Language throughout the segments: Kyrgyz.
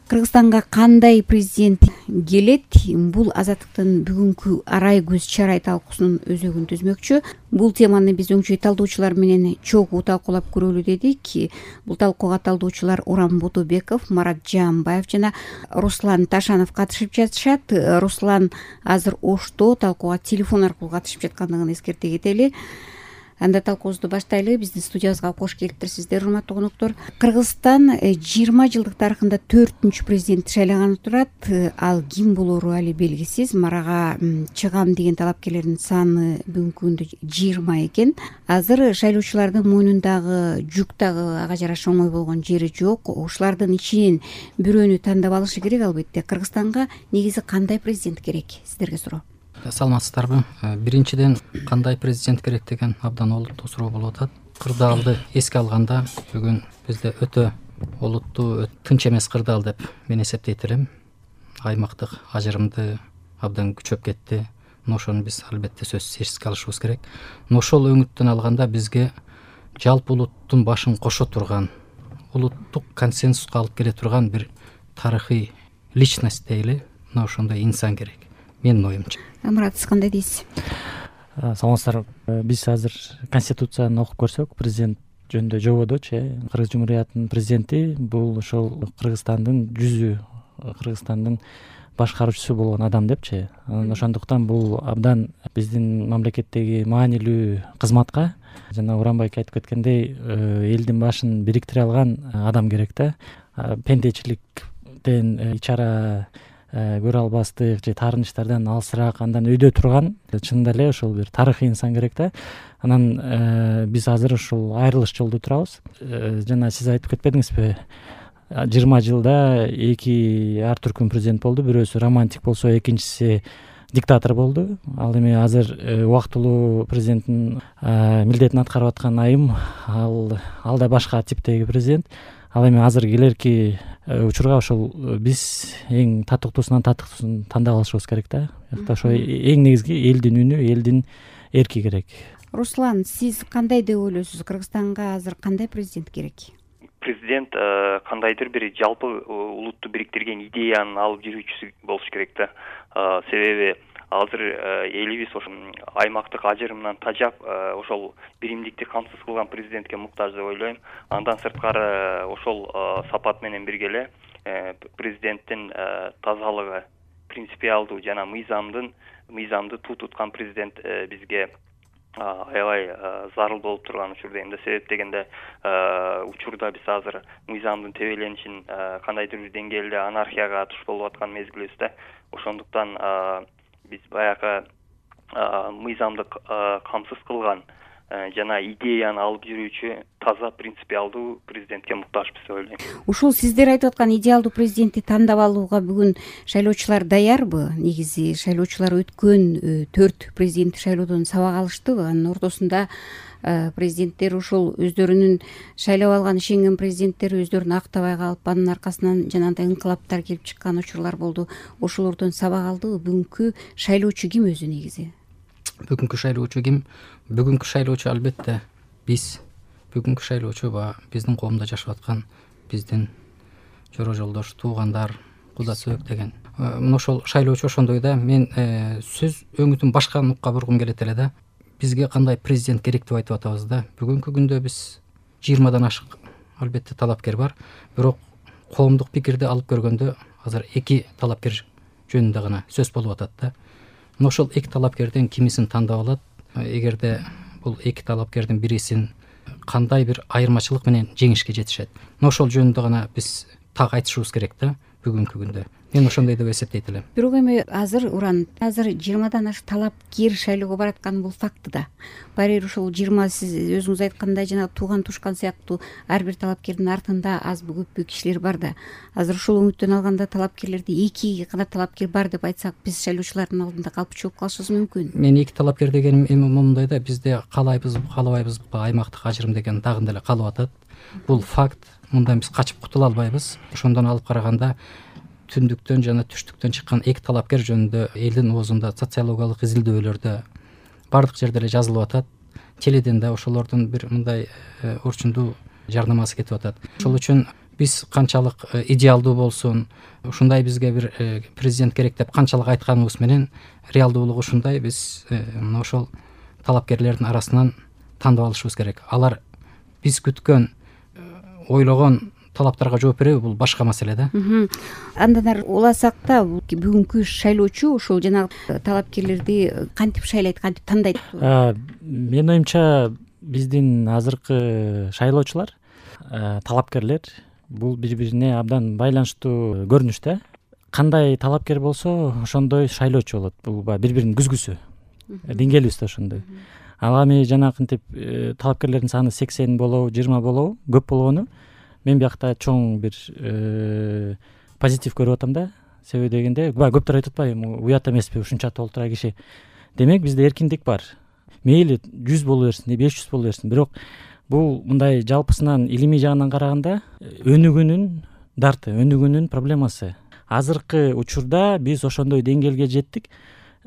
Кыргызстанга кандай президент келет? Бул Азаттыктын бүгүнкү арай көз чарай талкуусунун өзөгүн түзмөкчү. Бул теманы биз өңчөй талдоочулар менен чогуу талкуулап көрөлү дедик. Бул талкууга талдоочулар Урам Бутубеков, Марат Жаамбаев жана Руслан Ташанов катышып жатышат. Руслан азыр Ошто талкууга телефон аркылуу катышып жаткандыгын эскерте кетели. Анда талкуубузду баштайлы. Биздин студиябызга кош келиптирсиздер, урматтуу коноктор. Кыргызстан 20 жылдык тарыхында 4-үнчү президент шайланганы турат. Ал ким болору али белгисиз. Марага чыгам деген талапкерлердин саны бүгүнкү күндө 20 экен. Азыр шайлоочулардын мойнундагы жүк дагы ага жараша оңой болгон жери жок. Ушулардын ичинен бирөөнү тандап алышы керек албетте. Кыргызстанга негизи кандай президент керек? Сиздерге суроо. Саламатсыздарбы? Биринчиден, кандай президент керек деген абдан олуттуу суроо болуп атат. Кырдаалды эске алганда бүгүн бизде өтө олуттуу, тынч эмес кырдаал деп мен эсептейт элем. Аймактык ажырымды абдан күчөп кетти. Ошону биз албетте сөзсүз эске алышыбыз керек. Ошол өңүттөн алганда бизге жалпы улуттун башын кошо турган, улуттук консенсуска алып келе турган бир тарыхый личность дейли, ошондой инсан керек. Менин оюмча. Амурат, сиз кандай дейсиз? Саламатсыздар. Биз азыр Конституцияны окуп көрсөк, президент жөнүндө жободочу, Кыргыз Жумуриятынын президенти бул ошол Кыргызстандын жүзү, Кыргызстандын башкаруучусу болгон адам депчи. Ошондуктан бул абдан биздин мамлекеттеги маанилүү кызматка, жана Урамбайка айтып кеткендей, элдин башын бириктире алган адам керек да. Пендечиликтен ичара көрө албастык же таарынычтардан алысыраак, андан өйдө турган, чынында эле ошол бир тарыхый инсан керек да. Анан биз азыр ушул айрылыш жолдо турабыз. Жана сиз айтып кетпедиңизби, 20 жылда 2 ар түркүн президент болду. Бирөөсү романтик болсо, экинчиси диктатор болду. Ал эми азыр убактылуу президенттин милдетин аткарып аткан айым, ал да башка типтеги президент. Ал эми азыр келерки учурга ошол биз эң татыктуусунан татыктуусун тандап алышыбыз керек да. Ошо эң негизги элдин үнү, элдин эрки керек. Руслан, сиз кандай деп ойлойсуз? Кыргызстанга азыр кандай президент керек? Президент кандайдыр бир жалпы улутту бириктирген идеянын алып жүрүүчүсү болуш керек да. Себеби азыр элибиз ошо аймактык ажырымдан тажап, ошол биримдикти камсыз кылган президентке муктаж деп ойлойм. Андан сырткары ошол сапат менен бирге эле президенттин тазалыгы, принципиалдуу жана мыйзамды туу туткан президент бизге аябай зарыл болуп турган учурда. Эми себеп дегенде учурда биз азыр мыйзамдын тебеленишин кандайдыр бир деңгээлде анархияга туш болуп аткан мезгилибизде. Ошондуктан биз баягы мыйзамды камсыз кылган жана идеяны алып жүрүүчү таза принципиалдуу президентке муктажбыз деп ойлойм. Ушул сиздер айтып аткан идеалдуу президентти тандап алууга бүгүн шайлоочулар даярбы? Негизи шайлоочулар өткөн 4 президенттик шайлоодон сабак алыштыбы? Анын ортосунда президенттер ушул өздөрүнүн шайлап алган ишенген президенттери өздөрүн актабай калып, анын аркасынан жанагындай инкылаптар келип чыккан учурлар болду. Ошолордон сабак алдыбы? Бүгүнкү шайлоочу ким өзү негизи? Бүгүнкү шайлоочу ким? Бүгүнкү шайлоочу албетте биз. Бүгүнкү шайлоочу биздин коомдо жашап аткан биздин жора жолдош, туугандар, куда сөөк деген. Ошол шайлоочу ошондой да. Мен сөз өңүтүн башка нукка бургум келет эле да. Бизге кандай президент керек деп айтып атабыз да. Бүгүнкү күндө биз 20дан ашык албетте талапкер бар. Бирок коомдук пикирди алып көргөндө азыр 2 талапкер жөнүндө гана сөз болуп атат да. Ошол 2 талапкерден кимисин тандап алат? Эгерде бул 2 талапкердин бирисин кандай бир айырмачылык менен жеңишке жетишет? Ошол жөнүндө гана биз так айтышыбыз керек да бүгүнкү күндө. Мен ошондой деп эсептейт элем. Бирок эми азыр 20дан ашык талапкер шайлоого баратканы бул факты да. Баары бир ушул 20 сиз өзүңүз айткандай жана тууган тушкан сыяктуу ар бир талапкердин артында азбы көппү кишилер бар да. Азыр ушул өңүттөн алганда талапкерлерди 2 гана талапкер бар деп айтсак, биз шайлоочулардын алдында калпчу болуп калышыбыз мүмкүн. Мен 2 талапкер дегеним эми момундай да, бизде каалайбызбы, каалабайбызбы, аймактык ажырым деген дагы эле калып атат. Бул факт. Мындан биз качып кутула албайбыз. Ошондон алып караганда түндүктөн жана түштүктөн чыккан 2 талапкер жөнүндө элдин оозунда социологиялык изилдөөлөрдө бардык жерде эле жазылып атат. Теледен да ошолордун бир мындай орчундуу жарнамасы кетип атат. Ошол үчүн биз канчалык идеалдуу болсун, ушундай бизге бир президент керек деп канчалык айтканыбыз менен реалдуулугу ушундай, биз мына ошол талапкерлердин арасынан тандап алышыбыз керек. Алар биз күткөн, ойлогон талаптарга жооп береби, бул башка маселе да. Андан ары уласак да, бүгүнкү шайлоочу ошол жанагы талапкерлерди кантип шайлайт, кантип тандайт? Менин оюмча биздин азыркы шайлоочулар, талапкерлер бул бири-бирине абдан байланыштуу көрүнүш да. Кандай талапкер болсо ошондой шайлоочу болот. Бул бири-биринин күзгүсү. Деңгээлибиз да ошондой. Ал эми жанагынтип талапкерлердин саны 80 болобу, 20 болобу, көп болгону мен биякта чоң бир позитив көрүп атам да. Себеби дегенде, баягы көптөр айтып атпайбы, уят эмеспи ушунча толтура киши. Демек бизде эркиндик бар. Мейли 100 боло берсин, 500 боло берсин, бирок бул мындай жалпысынан илимий жагынан караганда өнүгүүнүн дарты, өнүгүүнүн проблемасы. Азыркы учурда биз ошондой деңгээлге жеттик.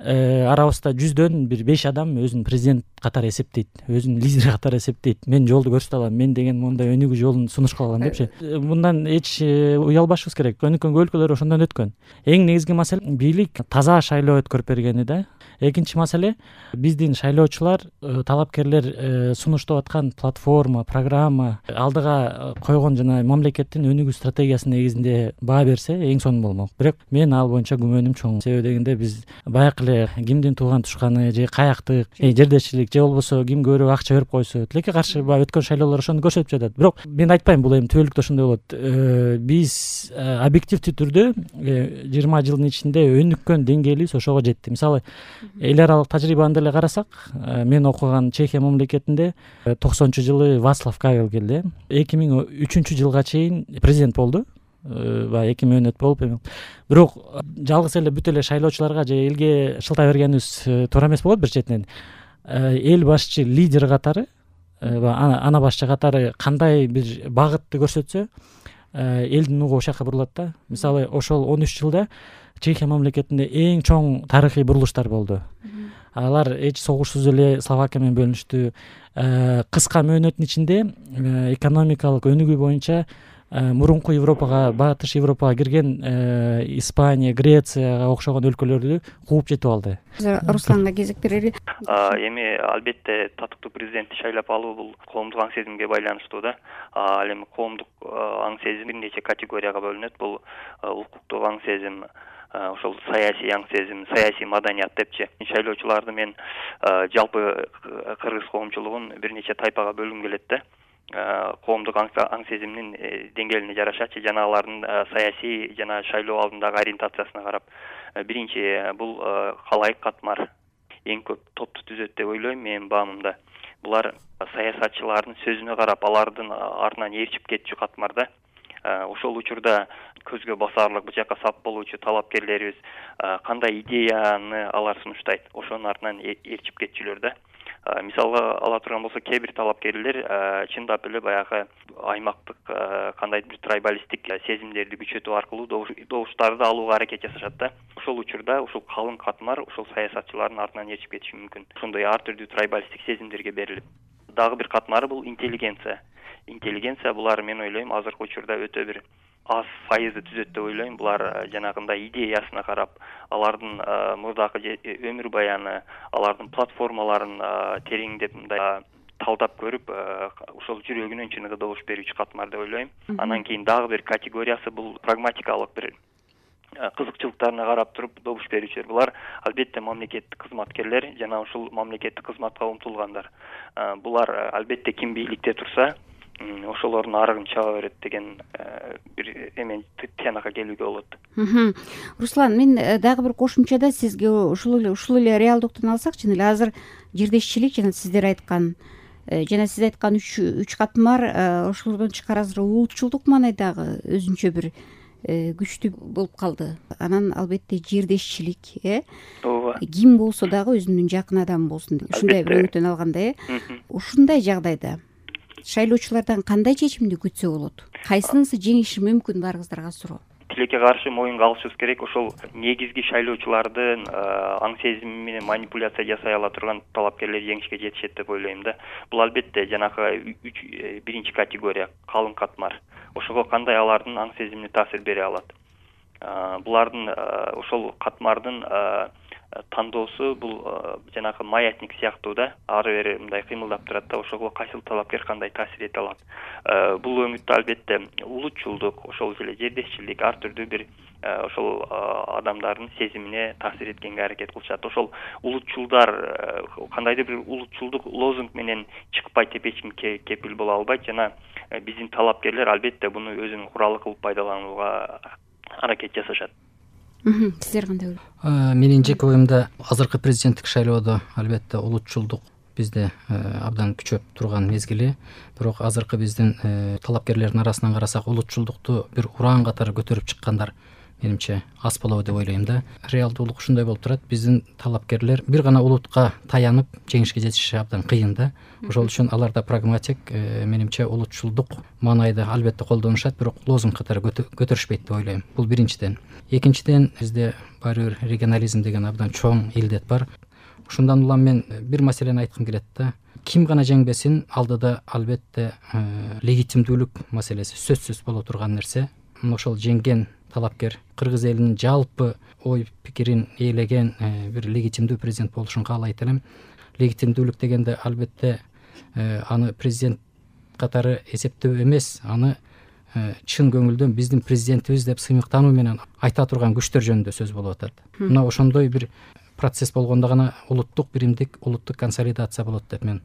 Арабызда 100дөн бир 5 адам өзүн президент катары эсептейт, өзүн лидер катары эсептейт. Мен жолду көрсөтө алам, мен деген мондай өнүгүү жолун сунуш кыла алам депчи. Мындан эч уялбашыбыз керек. Өнүккөн өлкөлөр ошондон өткөн. Эң негизги маселе бийлик таза шайлоо өткөрүп бергени да. Экинчи маселе, биздин шайлоочулар, талапкерлер сунуштап аткан платформа, программа, алдыга койгон жана мамлекеттин өнүгүү стратегиясынын негизинде баа берсе эң сонун болмок. Бирок мен ал боюнча күмөнүм чоң. Себеби дегенде биз баягы эле кимдин тууган тушканы же каяктык, жердешчилик же болбосо ким көбүрөөк акча берип койсо, тилекке каршы баягы өткөн шайлоолор ошону көрсөтүп жатат. Бирок мен айтпайм бул эми түбөлүктүү ошондой болот. Биз объективдүү түрдө 20 жылдын ичинде өнүккөн деңгээлибиз ошого жетти. Мисалы, эл аралык тажрыйбаны деле карасак, мен окуган Чехия мамлекетинде 90-жылы Вацлав Кавел келди. 2003-жылга чейин президент болду. 2 мөөнөт болуп эми. Бирок жалгыз эле бүт эле шайлоочуларга же элге шылтай бергенибиз туура эмес болот бир четинен. Эл башчы лидер катары, ана башчы катары кандай бир багытты көрсөтсө, элдин угу ошол жака бурулат да. Мисалы, ошол 13 жылда Чехия мамлекетинде эң чоң тарыхый бурулуштар болду. Алар эч согушсуз эле Словакия менен бөлүнүштү. Кыска мөөнөттүн ичинде экономикалык өнүгүү боюнча мурунку Европага, батыш Европага кирген Испания, Грецияга окшогон өлкөлөрдү кууп жетип алды. Русланга кезек берели. Эми албетте татыктуу президентти шайлап алуу бул коомдук аң сезимге байланыштуу да. Ал эми коомдук аң сезим бир нече категорияга бөлүнөт. Бул укуктук аң сезим, ошол саясий аң сезим, саясий маданият депчи. Шайлоочуларды мен жалпы кыргыз коомчулугун бир нече тайпага бөлгүм келет да. Коомдук аң сезимдин деңгээлине жарашачы жана алардын саясий жана шайлоо алдындагы ориентациясына карап, биринчи бул калайык катмар эң көп топту түзөт деп ойлойм менин баамымда. Булар саясатчылардын сөзүнө карап алардын артынан ээрчип кетчү катмар да. Ошол учурда көзгө басаарлык бул жака сап болуучу талапкерлерибиз кандай идеяны алар сунуштайт, ошонун артынан ээрчип кетчүлөр да. Мисалга ала турган болсок, кээ бир талапкерлер чындап эле баягы аймактык кандайдыр бир трайбалисттик сезимдерди күчөтүү аркылуу добуштарды алууга аракет жасашат да. Ошол учурда ушул калың катмар ушул саясатчылардын артынан ээрчип кетиши мүмкүн. Ошондой ар түрдүү трайбалисттик сезимдерге берилип. Дагы бир катмары бул интеллигенция. Интеллигенция булар, мен ойлойм, азыркы учурда өтө бир аз файызды түзөт деп ойлойм. Булар жанагындай идеясына карап, алардын мурдагы өмүр баяны, алардын платформаларын тереңдеп мындай талдап көрүп, ошол жүрөгүнөн чыныгы добуш берүүчү катмар деп ойлойм. Анан кийин дагы бир категориясы бул прагматикалык бир кызыкчылыктарына карап туруп добуш берүүчүлөр. Булар албетте мамлекеттик кызматкерлер жана ушул мамлекеттик кызматка умтулгандар. Булар албетте ким бийликте турса, ошолордун арыгын чаба берет деген бир эме тыянакка келүүгө болот. Руслан, мен дагы бир кошумчада сизге ушул эле реалдыктан алсак, чын эле азыр жердешчилик жана сиздер айткан жана сиз айткан үч катмар, ошолордон тышкары азыр улутчулдук маанайдагы өзүнчө бир күчтүү болуп калды. Анан албетте жердешчилик, ооба, ким болсо дагы өзүнүн жакын адамы болсун, ушундай бир өңүттөн алганда, ушундай жагдайда шайлоочулардан кандай чечимди күтсө болот? Кайсынысы жеңиши мүмкүн, барыңыздарга суроо. Тилекке каршы моюнга алышыбыз керек. Ошол негизги шайлоочулардын аң сезими менен манипуляция жасай ала турган талапкерлер жеңишке жетишет деп ойлойм да. Бул албетте жанагы биринчи категория калың катмар. ошого кандай алардын аң сезимине таасир бере алат. Булардын ошол катмардын тандоосу бул жанагы маятник сыяктуу да, ары бери мындай кыймылдап турат да, ошого кайсыл талапкер кандай таасир эте алат. Бул өңүттө албетте улутчулдук, ошол эле жердешчилик, ар түрдүү бир ошол адамдардын сезимине таасир эткенге аракет кылышат. Ошол улутчулдар кандайдыр бир улутчулдук лозунг менен чыкпайт деп эч ким кепил боло албайт жана биздин талапкерлер албетте буну өзүнүн куралы кылып пайдаланууга аракет жасашат. Сиздер кандай ойлойсуздар? Менин жеке оюмда азыркы президенттик шайлоодо албетте улутчулдук бизде абдан күчөп турган мезгили, бирок азыркы биздин талапкерлердин арасынан карасак улутчулдукту бир ураан катары көтөрүп чыккандар менимче аз болобу деп ойлойм да. Реалдуулук ушундай болуп турат, биздин талапкерлер бир гана улутка таянып жеңишке жетиши абдан кыйын да. Ошол үчүн аларда прагматик, менимче улутчулдук маанайды албетте колдонушат, бирок лозунг катары көтөрүшпөйт деп ойлойм. Бул биринчиден. Экинчиден, бизде баары бир регионализм деген абдан чоң илдет бар. Ушундан улам мен бир маселени айткым келет да. Ким гана жеңбесин, алдыда албетте легитимдүүлүк маселеси сөзсүз боло турган нерсе. Ошол жеңген талапкер кыргыз элинин жалпы ой пикирин ээлеген бир легитимдүү президент болушун каалайт элем. Легитимдүүлүк дегенде албетте аны президент катары эсептөө эмес, аны чын көңүлдөн биздин президентибиз деп сыймыктануу менен айта турган күчтөр жөнүндө сөз болуп атат. Мына ошондой бир процесс болгондо гана улуттук биримдик, улуттук консолидация болот деп мен